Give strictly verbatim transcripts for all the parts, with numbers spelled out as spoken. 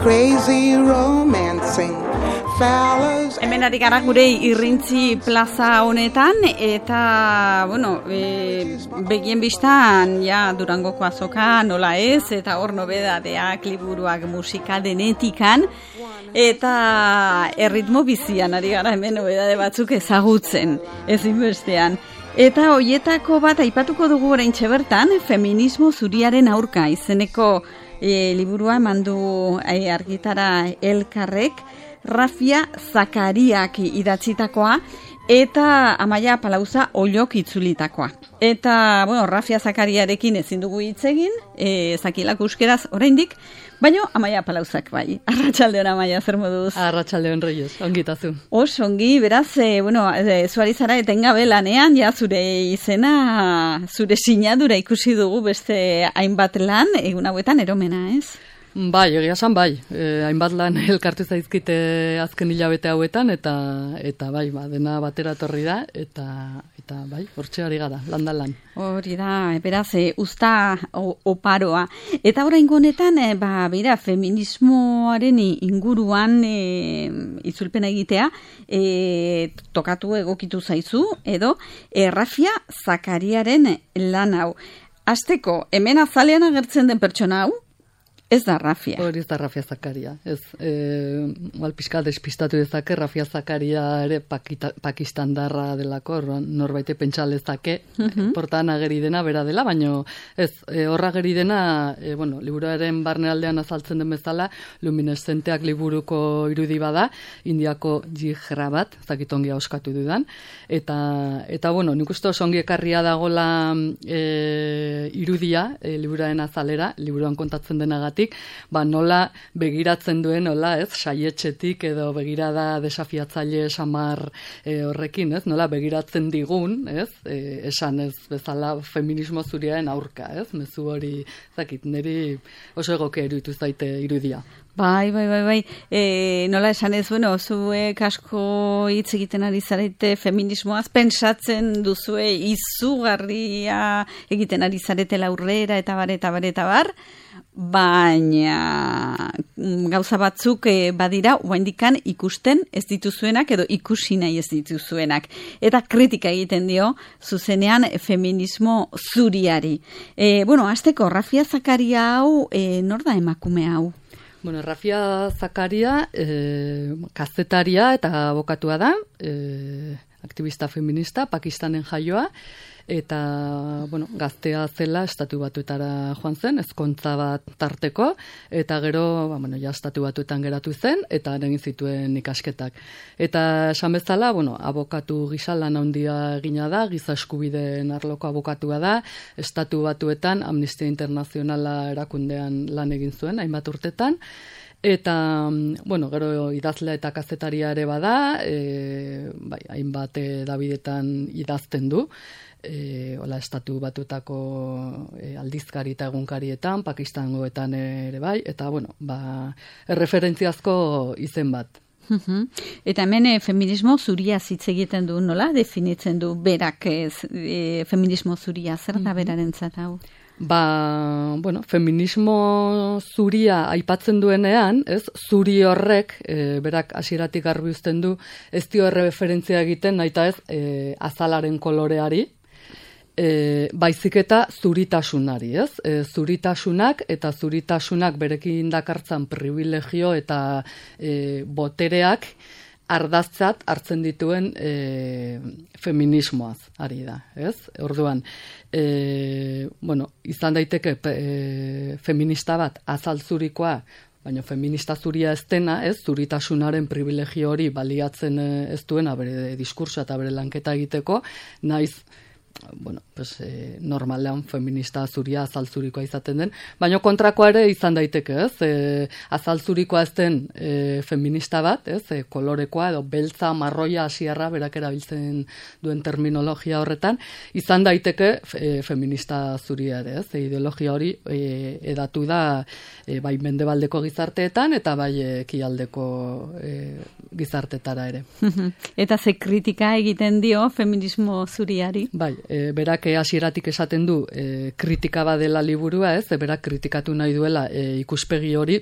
crazy romancing. Hemen ari gara gure Irrintzi plaza honetan eta, bueno, e, begien bistan, ja, Durangoko azoka nola ez, eta hor nobedadeak, liburuak, musika denetikan, eta erritmo bizian ari gara hemen nobedade batzuk ezagutzen, ezin bestean. Eta hoietako bat aipatuko dugu oraintxe bertan, feminismo zuriaren aurka izeneko e, liburua emandu e, argitara Elkarrek, Rafia Zakariak idatzitakoa eta Amaia Palauza Ollok itzulitakoa. Eta, bueno, Rafia Zakariarekin ezin dugu hitz egin, e, zakilak euskeraz oraindik, baina Amaia Palauzak bai. Arratsaldeon Amaia, zer moduz? Arratsaldeon Reyes, ongitazu. Os, ongi, beraz, e, bueno, e, zuari zara etengabe lanean, ja, zure izena, zure sinadura ikusi dugu beste hainbat lan, egun hauetan eromena, ez? Bai, egia esan bai, e, hainbat lan elkartu zaizkite azken hilabete hauetan, eta eta bai, ba, dena batera etorri da, eta eta bai, hortxe ari gara, lan da lan. Hori da, beraz, e, usta oparoa. Eta oraingo honetan, e, ba, bera, feminismoaren inguruan e, itzulpena egitea, e, tokatu egokitu zaizu, edo, e, Rafia Zakariaren lan hau. Hasteko, hemen azalean agertzen den pertsona hau, ez da Rafia. Hori ez da Rafia Zakaria. Ez, e, mal pixka despistatu dezake, Rafia Zakaria ere pakita, pakistandarra delako, norbaite pentsa lezake, uh-huh. Portan ageri dena bera dela, baina ez, e, horra ageri dena, e, bueno, liburuaren barnealdean azaltzen den bezala, lumineszenteak liburuko irudi bada, Indiako jihra bat, zakitongia oskatu dudan, eta, eta bueno, nik uste oso ongi ekarria dagola e, irudia, e, liburuaren azalera, liburuan kontatzen denagatik, ba, nola begiratzen duen, nola, ez, saietxetik edo begirada desafiatzaile samar e, horrekin, ez, nola begiratzen digun, ez, e, esan ez bezala feminismo zuriaren aurka, ez, mezu hori, zakit, niri oso egoke iruditu zaite irudia. Bai, bai, bai, bai. E, nola esan ez, bueno, zuek asko hitz egiten ari zarete feminismoaz, pentsatzen duzue izugarria egiten ari zaretela aurrera, eta bar, eta bar, eta bar, baina gauza batzuk e, badira, oaindikan ikusten ez dituzuenak, edo ikusi nahi ez dituzuenak. Eta kritika egiten dio, zuzenean feminismo zuriari. E, bueno, hasteko, Rafia Zakaria hau, e, nor da emakume hau? Bueno, Rafia Zakaria, eh, kazetaria eta abokatua da, eh, aktivista feminista, Pakistanen jaioa, eta, bueno, gaztea zela estatu batuetara joan zen, ezkontza bat tarteko, eta gero, ba, bueno, ja estatu batuetan geratu zen, eta egin zituen ikasketak. Eta esan bezala, bueno, abokatu gisa lan handia egina da, giza eskubideen arloko abokatua da, estatu batuetan Amnistia Internazionala erakundean lan egin zuen, hainbat urtetan, eta, bueno, gero idazlea eta kazetaria ere bada, e, bai, hainbat edabidetan idazten du, E, hola, estatu batutako e, aldizkari eta egunkarietan, Pakistangoetan ere bai, eta, bueno, ba, erreferentziazko izen bat. Uh-huh. Eta hemen e, feminismo zuria hitz egiten du, nola? Definitzen du berak ez, e, feminismo zuria, zer da berarentzat hau? Ba, bueno, feminismo zuria aipatzen duenean, ez, zuri horrek, e, berak hasieratik garbi uzten du, ez dio erreferentzia egiten, naita ez, e, azalaren koloreari, E, baizik eta zuritasunari, ez? E, zuritasunak eta zuritasunak berekin dakartzan privilegio eta e, botereak ardaztzat hartzen dituen e, feminismoaz ari da, ez? Orduan, e, bueno, izan daiteke e, feminista bat azaltzurikoa, baina feminista zuria ez dena, ez, zuritasunaren privilegio hori baliatzen ez duena bere diskursa eta bere lanketa egiteko, naiz, bueno, pues, eh, normalean feminista zuria azaltzurikoa izaten den, baina kontrakoa ere izan daiteke, ez? E, azaltzurikoa ez den e, feminista bat, ez? E, kolorekoa edo beltza, marroia, asierra, berak erabiltzen duen terminologia horretan, izan daiteke e, feminista zuria ere, ez? E, ideologia hori e, edatu da e, bai mendebaldeko gizarteetan eta bai ekialdeko e, gizartetara ere. Eta ze kritika egiten dio feminismo zuriari? Bai, e, berak hasieratik esaten du e, kritika badela liburua, ez? E, berak kritikatu nahi duela e, ikuspegi hori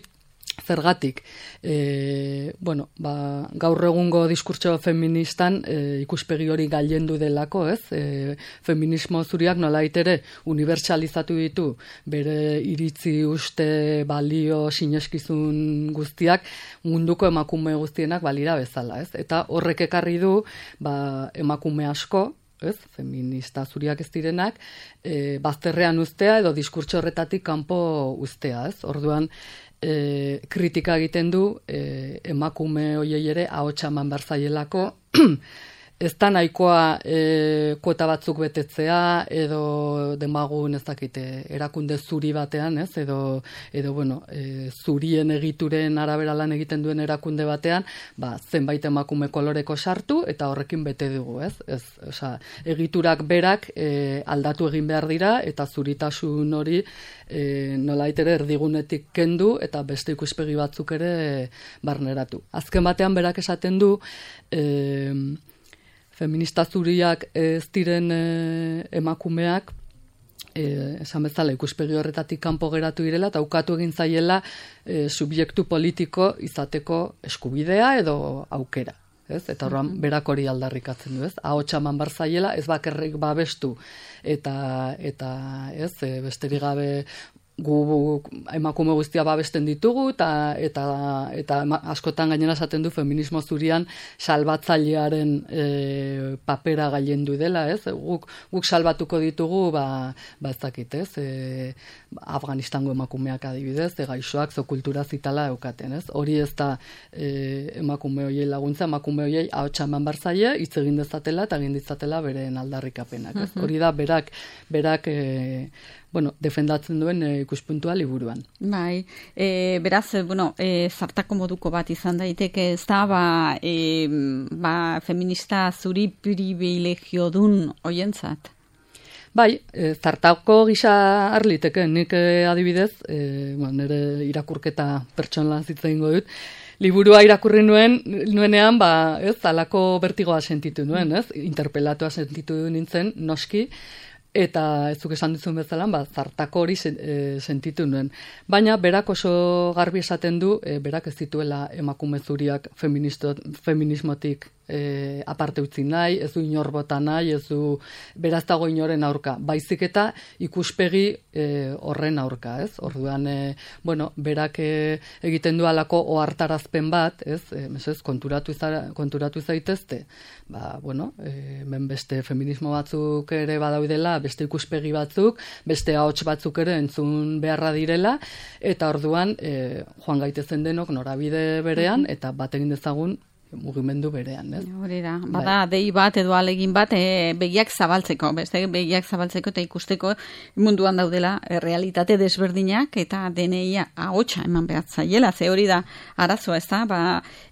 Zergatik, e, bueno, ba, gaur egungo diskurtso feministan e, ikuspegi hori gailendu delako, ez? E, feminismo zuriak nolait ere unibertsalizatu ditu bere iritzi, uste, balio, sineskizun guztiak munduko emakume guztienak balira bezala, ez? Eta horrek ekarri du ba, emakume asko, ez, feminista zuriak ez direnak, e, bazterrean uztea edo diskurtso horretatik kanpo uztea, ez? Orduan, E, kritika egiten du e, emakume hoiei ere ahotsa eman behar zaielako ez da nahikoa e, kuota batzuk betetzea edo demagun ez dakite erakunde zuri batean, ez, edo, edo bueno, e, zurien egituren arabera lan egiten duen erakunde batean, ba, zenbait emakume koloreko sartu eta horrekin bete dugu, ez, ez, osea, egiturak berak e, aldatu egin behar dira eta zuritasun hori e, nolait ere erdigunetik kendu eta beste ikuspegi batzuk ere barneratu. Azken batean berak esaten du e, feminista zuriak ez diren e, emakumeak e, esan bezala ikuspegi horretatik kanpo geratu direla eta ukatu egin zaiela e, subjektu politiko izateko eskubidea edo aukera. Ez? Eta horren berak hori aldarrikatzen du, ez? Ahotsa eman behar zaiela, ez bakarrik babestu eta, eta ez, e, besterik gabe gu emakume guztia babesten ditugu eta eta eta askotan gainera esaten du feminismo zurian salbatzailearen e, papera gailendu dela, ez? Guk guk salbatuko ditugu ba ba ez dakit, ez? E, Afganistango emakumeak adibidez, e, gaixoak zo kultura zitala eukaten, ez? Hori ez da e, emakume hoiei laguntza, emakume hoiei ahotsa eman bar zaie, hitz egin dezatela eta egin ditzatela beren aldarrikapenak, ez? Uh-huh. Hori da berak berak e, bueno, defendatzen duen e, ikuspuntua liburuan. Bai, e, beraz, bueno, e, zartako moduko bat izan daiteke, ez da, ba, e, ba, feminista zuri privilegio dun hoientzat. Bai, e, zartako gisa harliteke, nik e, adibidez, e, bueno, nire irakurketa pertsonala zitzen dut, liburua irakurri nuen, nuenean, ba, ez, alako bertigoa sentitu nuen, ez, interpelatua sentitu nintzen, noski, eta ez zuk esan duzun bezala, ba, zartako hori sentitu nuen. Baina berak oso garbi esaten du, e, berak ez dituela emakume zuriak feminismotik e, aparte utzi nahi, ez du inor bota nahi, ez du beraz dago inoren aurka. Baizik eta ikuspegi e, horren aurka, ez? Orduan, e, bueno, berak e, egiten du alako ohartarazpen bat, ez? E, mesez, konturatu, izara, konturatu zaitezte, ba, bueno, e, ben beste feminismo batzuk ere badaudela, beste ikuspegi batzuk, beste ahots batzuk ere entzun beharra direla, eta orduan e, joan gaitezen denok norabide berean, eta bat egin dezagun mugimendu berean, ez? Hori da, bada bai. Dei bat edo alegin bat e, begiak zabaltzeko, beste begiak zabaltzeko eta ikusteko munduan daudela e, realitate desberdinak eta deneia ahotsa eman behar zaiela, ze hori da arazoa, ez da, ba,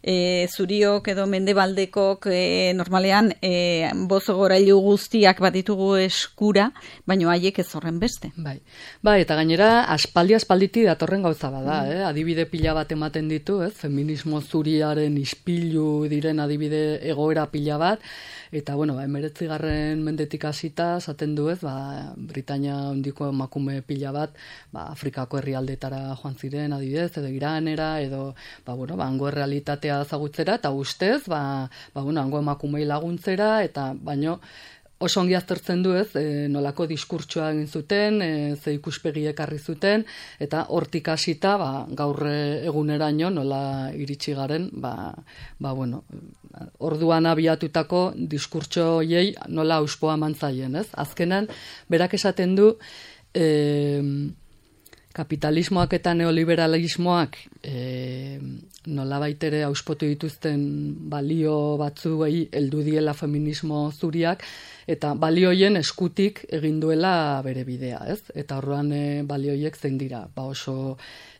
e, zuriok edo mendebaldekok e, normalean e, bozo gorailu guztiak bat ditugu eskura, baino haiek ez horren beste. Bai, bai eta gainera aspaldi aspalditi datorren gauza bada, mm. eh? Adibide pila bat ematen ditu, ez? Feminismo zuriaren ispilu diren adibide egoera pila bat, eta bueno, ba, emeretzigarren mendetik hasita esaten du, ez, ba, Britania handiko emakume pila bat, ba, Afrikako herrialdetara joan ziren adibidez, edo Iranera, edo, ba, bueno, ba, hango realitatea ezagutzera, eta ustez, ba, ba, bueno, hango emakumei laguntzera, eta baino, oso ongi aztertzen du, ez, e, nolako diskurtsoa egin zuten, e, ze ikuspegi ekarri zuten, eta hortik hasita, ba, gaur eguneraino nola iritsi garen, ba, ba, bueno, orduan abiatutako diskurtso hoiei nola auspoa mantzaien, ez? Azkenan, berak esaten du, e, kapitalismoak eta neoliberalismoak e, nolabait ere auspotu dituzten balio batzuei heldu diela feminismo zuriak, eta balioien eskutik egin duela bere bidea, ez? Eta horrean e, balioiek zein dira, ba oso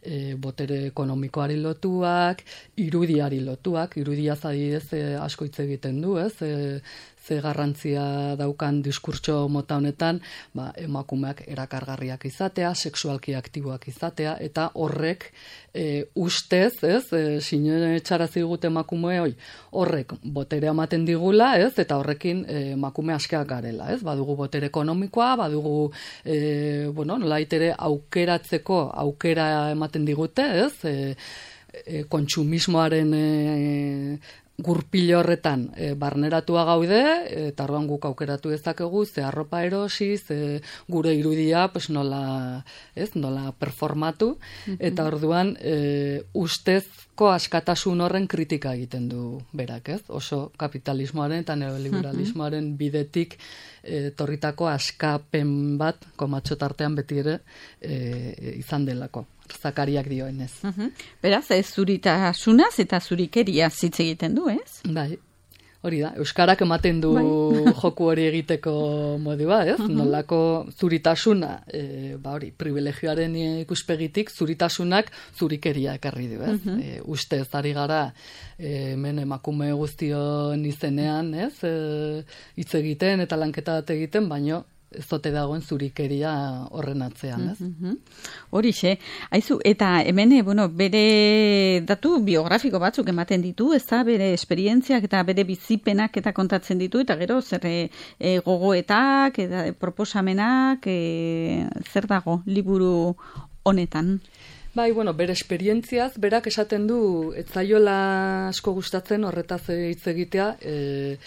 e, botere ekonomikoari lotuak, irudiari lotuak, irudiaz adibidez e, asko hitz egiten du, ez? E, ze garrantzia daukan diskurtso mota honetan, ba, emakumeak erakargarriak izatea, sexualki aktiboak izatea, eta horrek e, ustez, ez, e, sine txarazi digute emakume hoi, horrek botere ematen digula, ez, eta horrekin e, emakume askeak garela, ez, badugu botere ekonomikoa, badugu, e, bueno, nolait ere aukeratzeko aukera ematen digute, ez, e, e, kontsumismoaren e, gurpil horretan e, barneratua gaude, eta orduan guk aukeratu dezakegu ze arropa erosi, ze gure irudia pues nola, ez, nola performatu, eta orduan e, ustezko askatasun horren kritika egiten du berak, ez? Oso kapitalismoaren eta neoliberalismoaren bidetik e, torritako askapen bat komatxo tartean beti ere e, izan delako. Zakariak dioenez. Uh-huh. Beraz, ez zuritasunaz eta zurikeria hitz egiten du, ez? Bai, hori da. Euskarak ematen du bai. Joku hori egiteko modua, ez? Uh-huh. Nolako zuritasuna, e, ba hori, privilegioaren ikuspegitik, zuritasunak zurikeria ekarri du, ez? Uh-huh. E, ustez ari gara, e, hemen emakume guztion izenean, ez? E, hitz egiten eta lanketa bat egiten, baino ez zote dagoen zurikeria horren atzean, ez? Mm-hmm. Horixe, haizu, eta hemen, bueno, bere datu biografiko batzuk ematen ditu, ez da, bere esperientziak eta bere bizipenak eta kontatzen ditu, eta gero, zer e, gogoetak, eta proposamenak, e, zer dago, liburu honetan? Bai, bueno, bere esperientziaz, berak esaten du, ez zaiola asko gustatzen horretaz hitz egitea, e,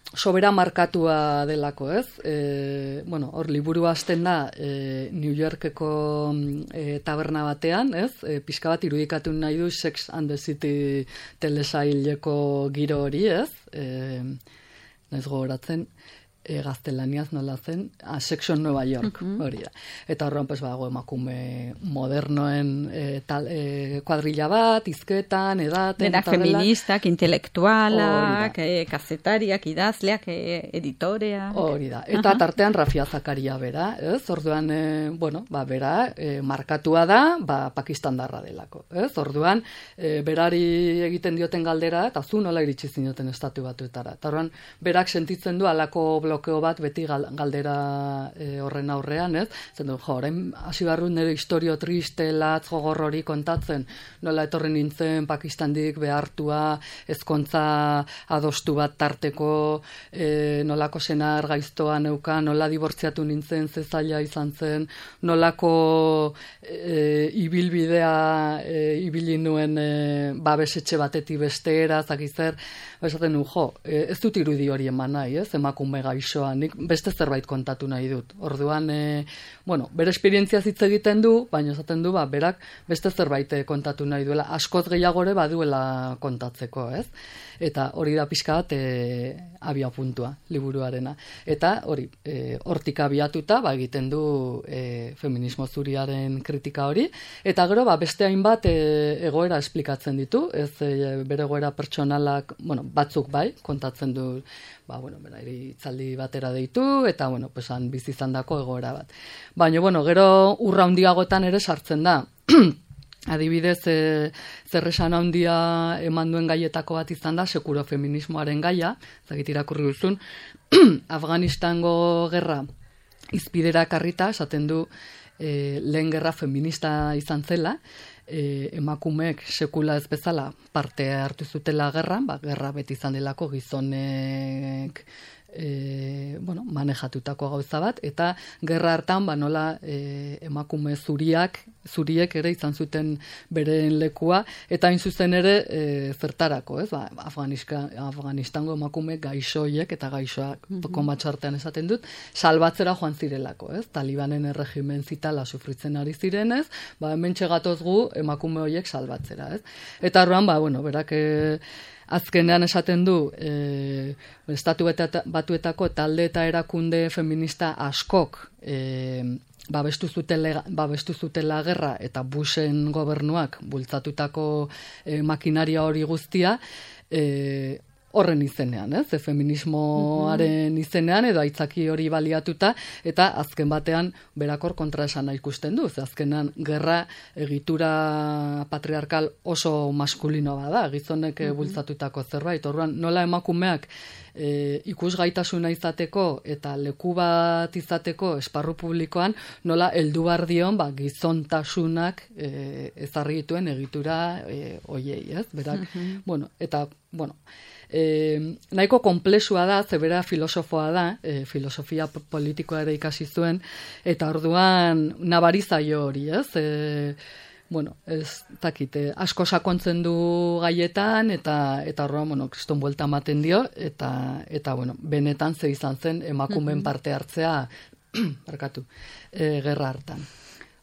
sobera markatua delako, ez? E, bueno, hor liburua hasten da e, New Yorkeko e, taberna batean, ez? E, pixka bat irudikatu nahi du Sex and the City telesaileko giro hori, ez? E, naiz gogoratzen, e, gaztelaniaz nola zen, a Sex on Nueva York, uh-huh. hori da. Eta horren, pues, bago emakume modernoen e, tal, e, kuadrilla bat, izketan, edaten. Denak feministak, intelektualak, e, kazetariak, idazleak, e, editorea. Hori da. Eta uh-huh. tartean Rafia Zakaria bera, ez? Orduan, e, bueno, ba, bera, e, markatua da, ba, pakistandarra delako, ez? Orduan, e, berari egiten dioten galdera, eta zu nola iritsi zinioten estatu batuetara. Eta orduan, berak sentitzen du alako blokeo bat beti galdera e, horren aurrean, ez? Zendu, jo, orain hasi barru nire historio triste, latz, gogor hori kontatzen, nola etorri nintzen Pakistandik behartua, ezkontza adostu bat tarteko, e, nolako senar gaiztoa neuka, nola dibortziatu nintzen, ze zaila izan zen, nolako e, ibilbidea e, ibili nuen e, babesetxe batetik bestera, zakizer, esaten nu, jo, e, ez dut irudi hori eman nahi, ez? Emakume gaixoa, nik beste zerbait kontatu nahi dut. Orduan, e, bueno, bere esperientzia hitz egiten du, baina esaten du, ba, berak beste zerbait kontatu nahi duela, askoz gehiagore baduela kontatzeko, ez? Eta hori da pixka bat e, abia puntua, liburuarena. Eta hori, e, hortik abiatuta, ba, egiten du e, feminismo zuriaren kritika hori, eta gero, ba, beste hainbat e, egoera esplikatzen ditu, ez e, bere egoera pertsonalak, bueno, batzuk bai, kontatzen du, ba, bueno, bera, itzaldi batera deitu, eta, bueno, pues, han bizi izandako egoera bat. Baina, bueno, gero urra handiagotan ere sartzen da. Adibidez, e, zerresan handia eman duen gaietako bat izan da, sekuro feminismoaren gaia, zagit irakurri duzun, Afganistango gerra izpidera karrita, esaten du e, lehen gerra feminista izan zela, e, emakumeek sekula ez bezala parte hartu zutela gerran, ba, gerra beti izan delako gizonek E, bueno, manejatutako gauza bat, eta gerra hartan ba, nola e, emakume zuriak, zuriek ere izan zuten beren lekua, eta hain zuzen ere e, zertarako, ez? Ba, Afganistango emakume gaixoiek eta gaixoak mm-hmm. komatxartean esaten dut, salbatzera joan zirelako, ez? Talibanen erregimen zitala sufritzen ari zirenez, ba, hemen txegatoz gu emakume horiek salbatzera, ez? Eta horrean, ba, bueno, berak e, azkenean esaten du e, estatu batuetako talde eta erakunde feminista askok e, babestu zutela, babestu zutela gerra eta Bushen gobernuak bultzatutako e, makinaria hori guztia e, horren izenean, ez? E, feminismoaren izenean edo aitzaki hori baliatuta eta azken batean berakor kontraesana ikusten du. Ze azkenan gerra egitura patriarkal oso maskulino bada, gizonek uh-huh. bultzatutako zerbait. Orduan nola emakumeak e, ikusgaitasuna izateko eta leku bat izateko esparru publikoan nola heldu behar dion ba, gizontasunak e, ezarri dituen egitura e, oiei, ez? Berak, uh-huh. bueno, eta, bueno, E, nahiko konplexua da, zebera filosofoa da, e, filosofia politikoa ere ikasi zuen, eta orduan nabarizaio hori, ez? E, bueno, ez dakite, asko sakontzen du gaietan, eta eta horrean, bueno, kriston buelta ematen dio, eta, eta bueno, benetan ze izan zen emakumeen parte hartzea, barkatu, e, gerra hartan.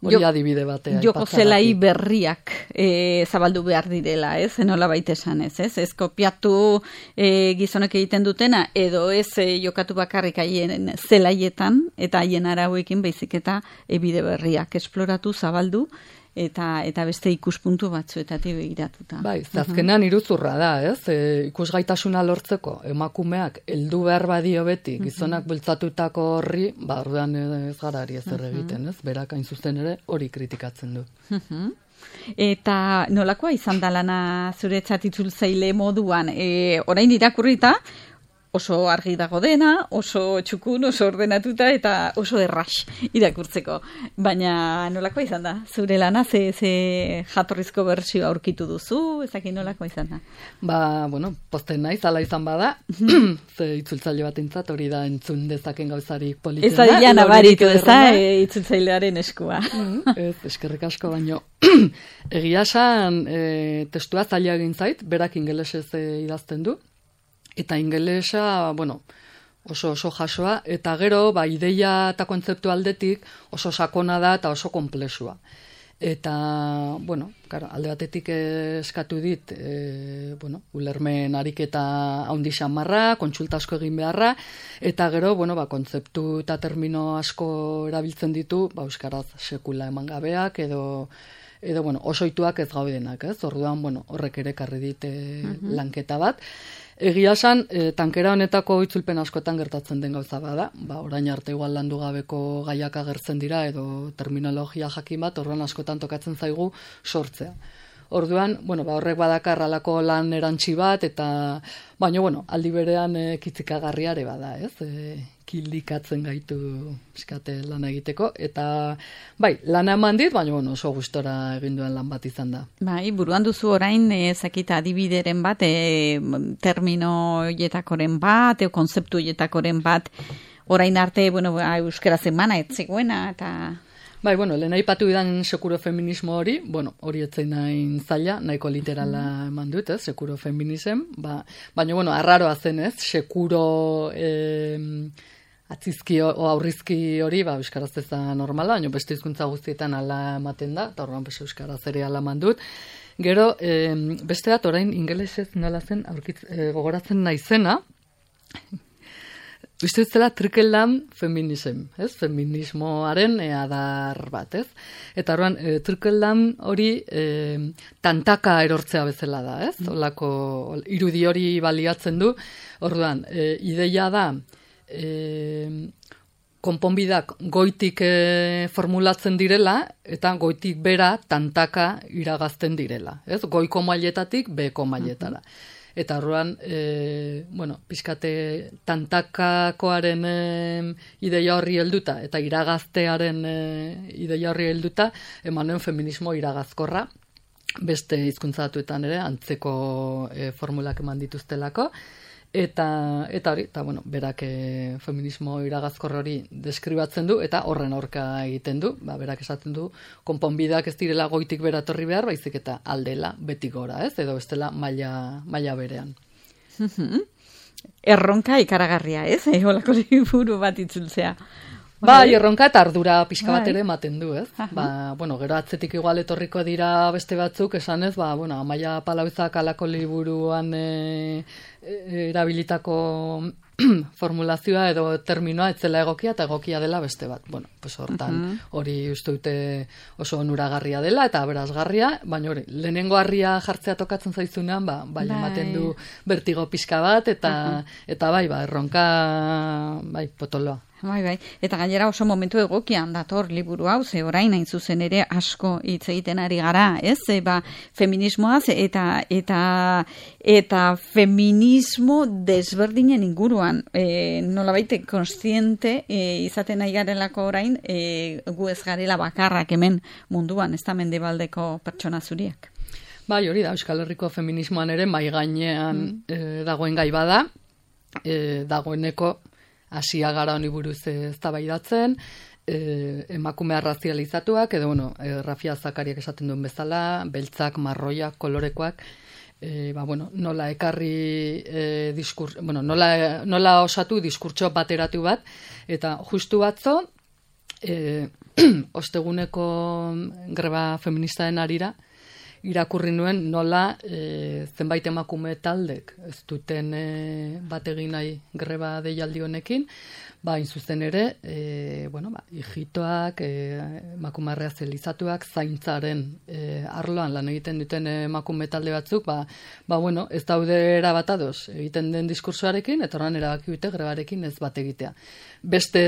Hori adibide batea. Joko zelai berriak e, zabaldu behar direla, ez? Enola baita esan ez, ez? Ez kopiatu e, gizonek egiten dutena, edo ez e, jokatu bakarrik haien zelaietan, eta haien arauekin baizik eta e, bide berriak esploratu, zabaldu, eta eta beste ikuspuntu batzuetatik begiratuta. Bai, azkenean iruzurra da, ez? E, ikusgaitasuna lortzeko emakumeak heldu behar badio beti gizonak bultzatutako horri, ba orduan ez gara ari ezer egiten, ez? Berak hain zuzen ere hori kritikatzen du. Eta nolakoa izan da lana zuretzat itzultzaile moduan, e, orain irakurrita oso argi dago dena, oso txukun, oso ordenatuta eta oso erras irakurtzeko. Baina nolakoa izan da? Zure lana ze, ze jatorrizko bertsioa aurkitu duzu? Ezakin nolakoa izan da? Ba, bueno, posten naiz, ala izan bada, ze itzultzaile bat entzat, hori da entzun dezaken gauzarik politena. Ez da dian abaritu, ez da, e, itzultzailearen eskua. Ez, eskerrik asko, baino. Egia esan, e, testua zaila egin zait, berak ingelesez e, idazten du, eta ingelesa, bueno, oso oso jasoa, eta gero, ba, ideia eta kontzeptu aldetik oso sakona da eta oso konplexua. Eta, bueno, claro, alde batetik eskatu dit, e, bueno, ulermen ariketa haundi xamarra, kontsulta asko egin beharra, eta gero, bueno, ba, kontzeptu eta termino asko erabiltzen ditu, ba, euskaraz sekula eman gabeak, edo, edo, bueno, oso ituak ez gaudenak, ez? Orduan, bueno, horrek ere karri dit uh-huh. lanketa bat. Egia esan, e, tankera honetako itzulpen askotan gertatzen den gauza bada, ba, orain arte igual landu gabeko gaiak agertzen dira, edo terminologia jakin bat, orduan askotan tokatzen zaigu sortzea. Orduan, bueno, ba, horrek badakar halako lan erantsi bat, eta, baina, bueno, aldi berean e, kitzikagarriare bada, ez? E, kildikatzen gaitu eskate lan egiteko, eta, bai, lana eman dit, baina, bueno, oso gustora egin duen lan bat izan da. Bai, buruan duzu orain, ezakita adibideren bat, e, termino hietakoren bat, e, konzeptu hietakoren bat, orain arte, bueno, euskera zemana etzegoena, eta... Bai, bueno, lehen aipatu idan sekuro feminismo hori, bueno, hori etzein nahin zaila, nahiko literala eman dut, ez, sekuro feminism, ba, baina, bueno, arraroa zen, ez, sekuro eh, atzizki o aurrizki hori, ba, euskaraz ez da normala, baina beste hizkuntza guztietan ala ematen da, eta horrean beste euskaraz ere ala eman dut. Gero, eh, beste bat, orain ingelesez nola zen, aurkitz, eh, gogoratzen naizena, uste zela trickle down feminism, ez? Feminismoaren e, adar bat, ez? Eta horrean, e, trickle down hori e, tantaka erortzea bezala da, ez? Olako irudi hori baliatzen du. Orduan, e, ideia da, e, konponbidak goitik e, formulatzen direla, eta goitik bera tantaka iragazten direla, ez? Goiko mailetatik beko mailetara. Eta horrean, e, bueno, pixkate tantakakoaren e, ideia horri helduta, eta iragaztearen e, ideia horri helduta, emanuen feminismo iragazkorra, beste hizkuntzatuetan ere, antzeko e, formulak eman dituztelako, eta, eta hori, eta bueno, berak e, feminismo iragazkor hori deskribatzen du, eta horren aurka egiten du, ba, berak esaten du, konponbideak ez direla goitik beratorri behar, baizik eta aldela beti gora, ez? Edo ez dela maila, maila berean. Erronka ikaragarria, ez? Eolako liburu bat itzultzea. Bai, erronka eta ardura pixka bat ere ematen du, ez? Ba, bueno, gero atzetik igual etorriko dira beste batzuk, esanez, ba, bueno, Amaia Palauzak alako liburuan e, e, erabilitako formulazioa edo terminoa etzela egokia eta egokia dela beste bat. Bueno, pues hortan hori uh-huh. uste dute oso onuragarria dela eta aberasgarria, baina hori, lehenengo harria jartzea tokatzen zaizunean, ba, bai, ematen du bertigo pixka bat eta, uh-huh. eta bai, ba, erronka, bai, potoloa. Bai, bai. Eta gainera oso momentu egokian dator liburu hau, ze orain hain zuzen ere asko hitz egiten ari gara, ez? E, ba, feminismoaz eta eta eta feminismo desberdinen inguruan, e, nolabait kontziente e, izaten nahi garelako orain, e, gu ez garela bakarrak hemen munduan, ez da mendebaldeko pertsona zuriak. Bai, hori da, Euskal Herriko feminismoan ere mai gainean mm. e, dagoen gai bada, e, dagoeneko hasia gara honi buruz eztabaidatzen, e, emakumea razializatuak, edo, bueno, e, Rafia Zakariak esaten duen bezala, beltzak, marroiak, kolorekoak, e, ba, bueno, nola ekarri e, diskurs, bueno, nola, nola osatu diskurtso bateratu bat, eta justu batzo, e, osteguneko greba feministaen arira, irakurri nuen nola e, zenbait emakume taldek ez duten e, bat egin nahi greba deialdi honekin, ba, zuzen ere, e, bueno, ba, hijitoak, e, emakume razializatuak, zaintzaren e, arloan lan egiten duten emakume talde batzuk, ba, ba, bueno, ez daude erabat ados egiten den diskursoarekin, eta horren erabaki dute grebarekin ez bat egitea. Beste,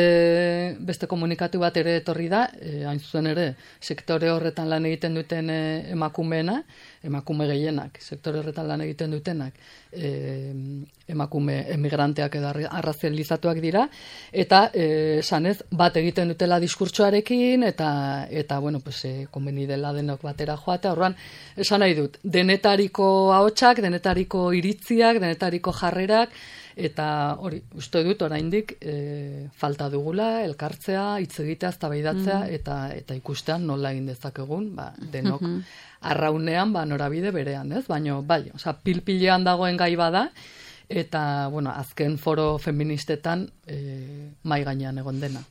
beste komunikatu bat ere etorri da, e, hain zuzen ere, sektore horretan lan egiten duten e, emakumeena, emakume gehienak, sektore horretan lan egiten dutenak, e, emakume emigranteak edo arrazializatuak dira, eta e, sanez bat egiten dutela diskurtsoarekin, eta, eta bueno, pues, e, konbeni dela denok batera joatea, horran, esan nahi dut, denetariko ahotsak, denetariko iritziak, denetariko jarrerak, eta hori, uste dut oraindik e, falta dugula, elkartzea, hitz egitea, eztabaidatzea, mm. eta, eta ikustean nola egin dezakegun, ba, denok mm -hmm. arraunean, ba, norabide berean, ez? Baina, bai, osea, pilpilean dagoen gai bada, eta, bueno, azken foro feministetan e, mai gainean egon dena.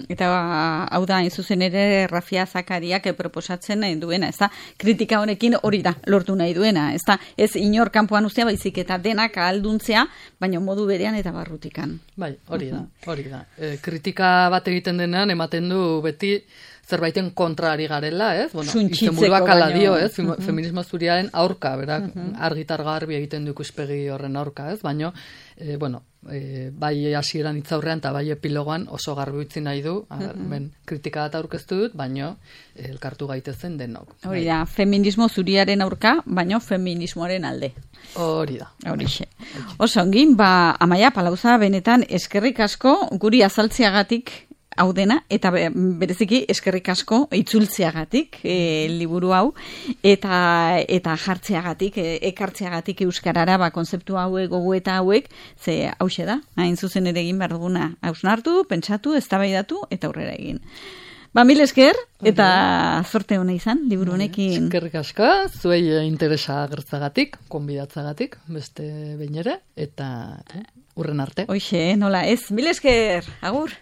Eta ba, hau da, zuzen ere Rafia Zakariak proposatzen nahi duena, ez da, kritika honekin hori da, lortu nahi duena, ez da, ez inor kanpoan ustea baizik eta denak ahalduntzea, baina modu berean eta barrutikan. Bai, hori da, hori da. E, kritika bat egiten denean, ematen du beti, zerbaiten kontrari garela, ez? Bueno, izenburuak ala dio, ez? Uh -huh. Feminismo zuriaren aurka, berak, uh -huh. argitar garbi egiten du ikuspegi horren aurka, ez? Baina, e, bueno, e, bai hasieran hitzaurrean eta bai epilogoan oso garbi utzi nahi du, uh -huh. ben, kritika bat aurkeztu dut, baina elkartu gaitezen denok. Hori da, feminismo zuriaren aurka, baina feminismoaren alde. Hori da. Horixe. Oso ongin, ba, Amaia Palauza, benetan eskerrik asko guri azaltzeagatik hau dena, eta bereziki eskerrik asko itzultzeagatik e, liburu hau, eta eta jartzeagatik, e, ekartzeagatik euskarara, ba, konzeptu hauek, gogoeta hauek, ze hauxe da, hain zuzen ere egin behar duguna, hausnartu, pentsatu, eztabaidatu, eta aurrera egin. Ba, mil esker, eta zorte hona izan, liburu honekin. Eskerrik asko, zuei interesa agertzagatik, konbidatzagatik, beste behin ere, eta urren arte. Hoxe, nola ez, mil esker, agur!